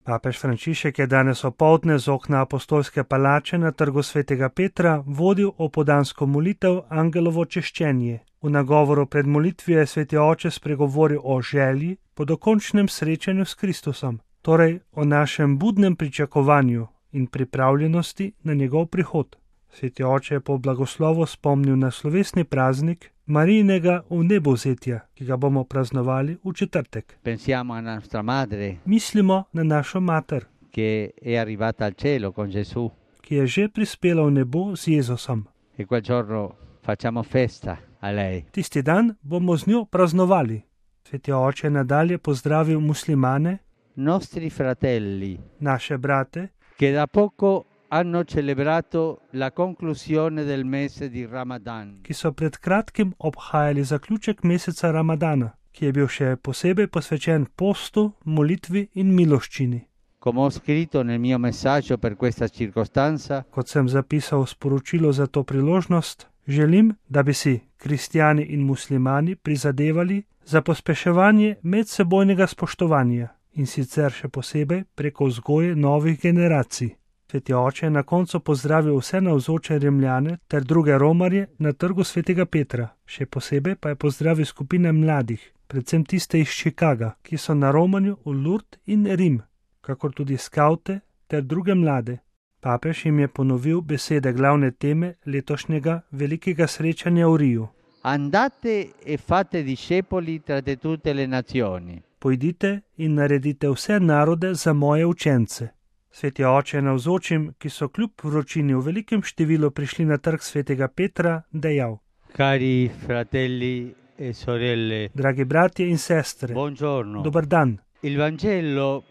Papež Frančišek je danes opoldne z okna Apostolske palače na Trgu svetega Petra vodil opoldansko molitev Angelovo češčenje. V nagovoru pred molitvijo je sveti oče spregovoril o želji po dokončnem srečanju s Kristusom, torej o našem budnem pričakovanju in pripravljenosti na njegov prihod. Sveti oče je po blagoslovu spomnil na slovesni praznik Marijinega vnebovzetja, ki ga bomo praznovali v četrtek. Pensiamo a nostra madre, Mislimo na našo mater, che è arrivata al cielo con Gesù, ki je že prispela v nebo z Jezusom. e quel giorno facciamo festa a lei. Tisti dan bomo z njo praznovali. Sveti oče je nadalje pozdravil muslimane, Nostri fratelli, naše brate, che da poco hanno celebrato la conclusione del mese di Ramadan. ki so pred kratkim obhajali zaključek meseca Ramadana, ki je bil še posebej posvečen postu, molitvi in miloščini. Come ho scritto nel mio messaggio per questa circostanza, Kot sem zapisal v sporočilu za to priložnost, želim, da bi si kristjani in muslimani prizadevali za pospeševanje medsebojnega spoštovanja in sicer še posebej preko vzgoje novih generacij. Sveti oče je na koncu pozdravil vse navzoče Rimljane ter druge romarje na Trgu svetega Petra, še posebej pa je pozdravil skupine mladih, predvsem tiste iz Chicaga, ki so na romanju v Lourdes in Rim, kakor tudi skavte ter druge mlade. Papež jim je ponovil besede glavne teme letošnjega velikega srečanja v Riju. andate e fate discepoli tra tutte le nazioni. Pojdite in naredite vse narode za moje učence. Sveti oče je navzočim, ki so kljub vročini v velikem številu prišli na Trg svetega Petra, dejal: Cari fratelli e sorelle, Dragi bratje in sestre, buongiorno. dober dan. Il Vangelo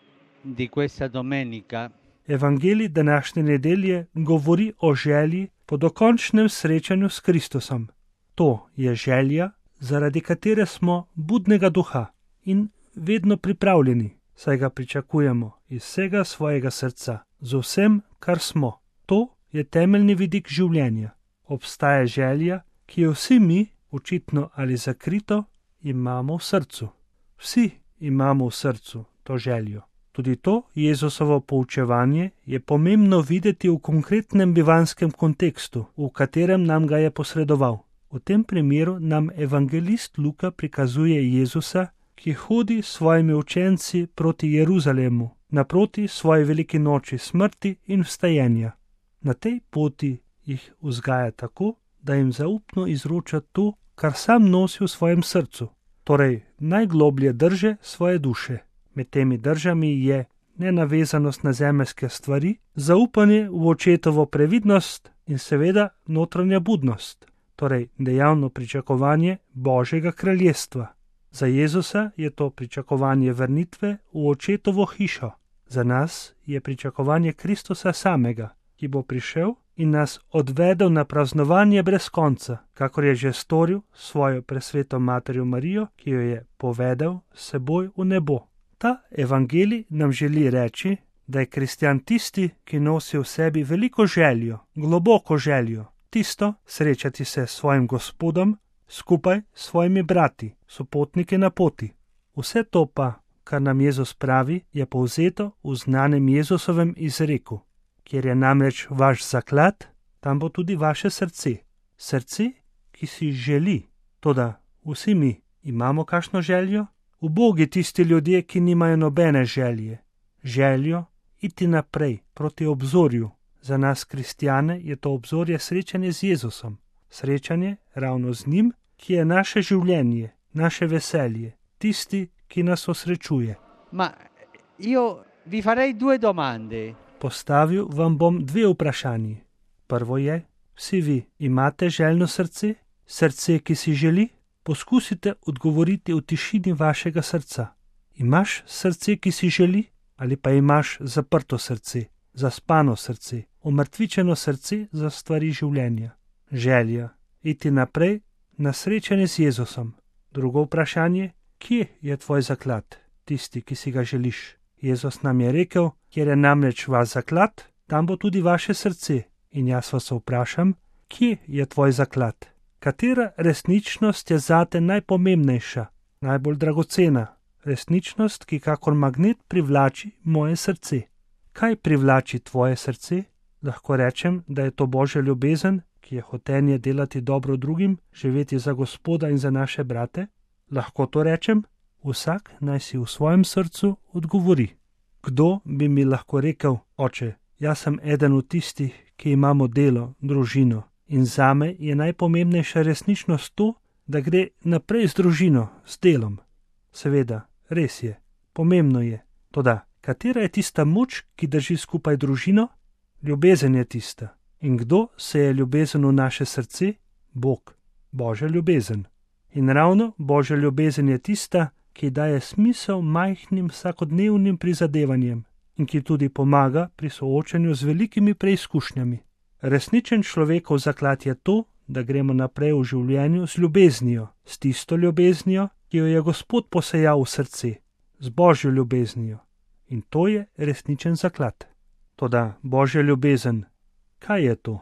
di questa domenica Evangelij današnje nedelje govori o želji po dokončnem srečanju s Kristusom. To je želja, zaradi katere smo budnega duha in vedno pripravljeni, saj ga pričakujemo iz vsega svojega srca, z vsem, kar smo. To je temeljni vidik življenja. Obstaja želja, ki jo vsi mi, očitno ali zakrito, imamo v srcu. Vsi imamo v srcu to željo. Tudi to Jezusovo poučevanje je pomembno videti v konkretnem bivanskem kontekstu, v katerem nam ga je posredoval. V tem primeru nam evangelist Luka prikazuje Jezusa, ki hodi s svojimi učenci proti Jeruzalemu, naproti svoji veliki noči smrti in vstajenja. Na tej poti jih vzgaja tako, da jim zaupno izroča to, kar sam nosi v svojem srcu, torej najgloblje drže svoje duše. Med temi držami je nenavezanost na zemeljske stvari, zaupanje v očetovo previdnost in seveda notranja budnost, torej dejavno pričakovanje Božjega kraljestva. Za Jezusa je to pričakovanje vrnitve v očetovo hišo. Za nas je pričakovanje Kristusa samega, ki bo prišel in nas odvedel na praznovanje brez konca, kakor je že storil svojo presveto materjo Marijo, ki jo je povedal s seboj v nebo. Ta evangelij nam želi reči, da je kristjan tisti, ki nosi v sebi veliko željo, globoko željo, tisto srečati se s svojim Gospodom, skupaj s svojimi brati, sopotniki na poti. Vse to pa, kar nam Jezus pravi, je povzeto v znanem Jezusovem izreku, kjer je namreč vaš zaklad, tam bo tudi vaše srce. Srce, ki si želi. Toda vsi mi imamo kakšno željo? Ubogi tisti ljudje, ki nimajo nobene želje. Željo iti naprej, proti obzorju. Za nas kristjane je to obzorje srečanje z Jezusom. Srečanje ravno z njim, ki je naše življenje, naše veselje, tisti, ki nas osrečuje. Ma io vi farei due domande. Postavil vam bom dve vprašanji. Prvo je, vsi vi imate željno srce? Srce, ki si želi? Poskusite odgovoriti v tišini vašega srca. Imaš srce, ki si želi? Ali pa imaš zaprto srce, zaspano srce, omrtvičeno srce za stvari življenja? Želja, iti naprej na srečanje z Jezusom. Drugo vprašanje, kje je tvoj zaklad, tisti, ki si ga želiš? Jezus nam je rekel, kjer je namreč vaš zaklad, tam bo tudi vaše srce. In jaz vas vprašam, kje je tvoj zaklad? Katera resničnost je zate najpomembnejša, najbolj dragocena? resničnost, ki kakor magnet privlači moje srce. Kaj privlači tvoje srce? Lahko rečem, da je to Božja ljubezen, ki je hotenje delati dobro drugim, živeti za Gospoda in za naše brate? Lahko to rečem? Vsak naj si v svojem srcu odgovori. Kdo bi mi lahko rekel: oče, jaz sem eden od tistih, ki imamo delo, družino, in zame je najpomembnejša resničnost to, da gre naprej z družino, s delom. Seveda, res je, pomembno je. Toda, katera je tista moč, ki drži skupaj družino? Ljubezen je tista. In kdo se je ljubezen v naše srce? Bog, Božja ljubezen. In ravno Božja ljubezen je tista, ki daje smisel majhnim vsakodnevnim prizadevanjem in ki tudi pomaga pri soočanju z velikimi preizkušnjami. Resničen človekov zaklad je to, da gremo naprej v življenju z ljubeznijo, s tisto ljubeznijo, ki jo je Gospod posejal v srce, z Božjo ljubeznijo. In to je resničen zaklad. Toda Božja ljubezen, kaj je to?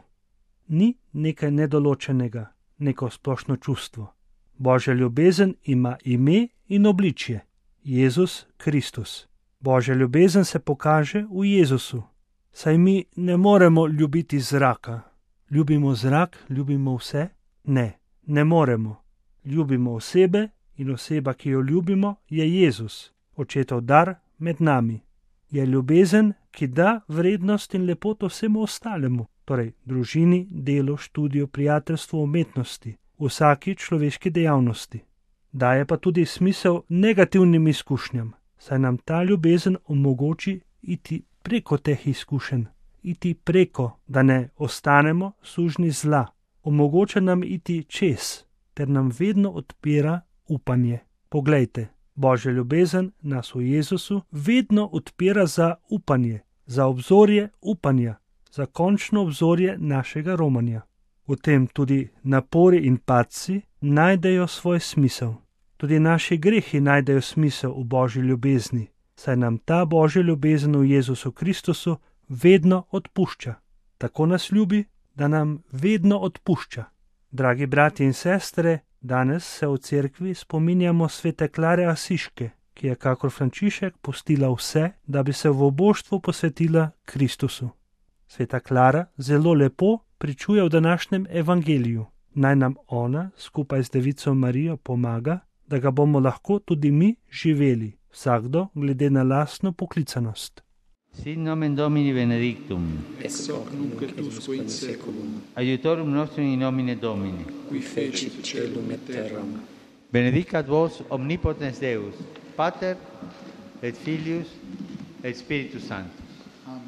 Ni nekaj nedoločenega, neko splošno čustvo. Božja ljubezen ima ime in obličje. Jezus Kristus. Božja ljubezen se pokaže v Jezusu. Saj mi ne moremo ljubiti zraka. Ljubimo zrak, ljubimo vse? Ne moremo. Ljubimo osebe in oseba, ki jo ljubimo, je Jezus, Očetov dar med nami. Je ljubezen, ki da vrednost in lepoto vsemu ostalemu, torej družini, delu, študiju, prijateljstvu, umetnosti, vsaki človeški dejavnosti. Daje pa tudi smisel negativnim izkušnjam, saj nam ta ljubezen omogoči iti preko teh izkušenj, iti preko, da ne ostanemo sužnji zla. Omogoča nam iti čez, ter nam vedno odpira upanje. Poglejte, Božja ljubezen nas v Jezusu vedno odpira za upanje, za obzorje upanja, za končno obzorje našega romanja. V tem tudi napori in padci najdejo svoj smisel. Tudi naši grehi najdejo smisel v Božji ljubezni, saj nam ta Božja ljubezen v Jezusu Kristusu vedno odpušča. Tako nas ljubi, da nam vedno odpušča. Dragi bratje in sestre, danes se v cerkvi spominjamo svete Klare Asiške, ki je kakor Frančišek pustila vse, da bi se v oboštvu posvetila Kristusu. Sveta Klara zelo lepo pričuje v današnjem evangeliju. Naj nam ona skupaj z Devico Marijo pomaga, da ga bomo lahko tudi mi živeli, vsakdo glede na lastno poklicanost. Sit nomen Domini benedictum, ex hoc nunc et usque in seculum, aiutorium nostrum in nomine Domini, qui fecit caelum et terram. benedicat vos omnipotens Deus, Pater et Filius et Spiritus Sanctus. Amen.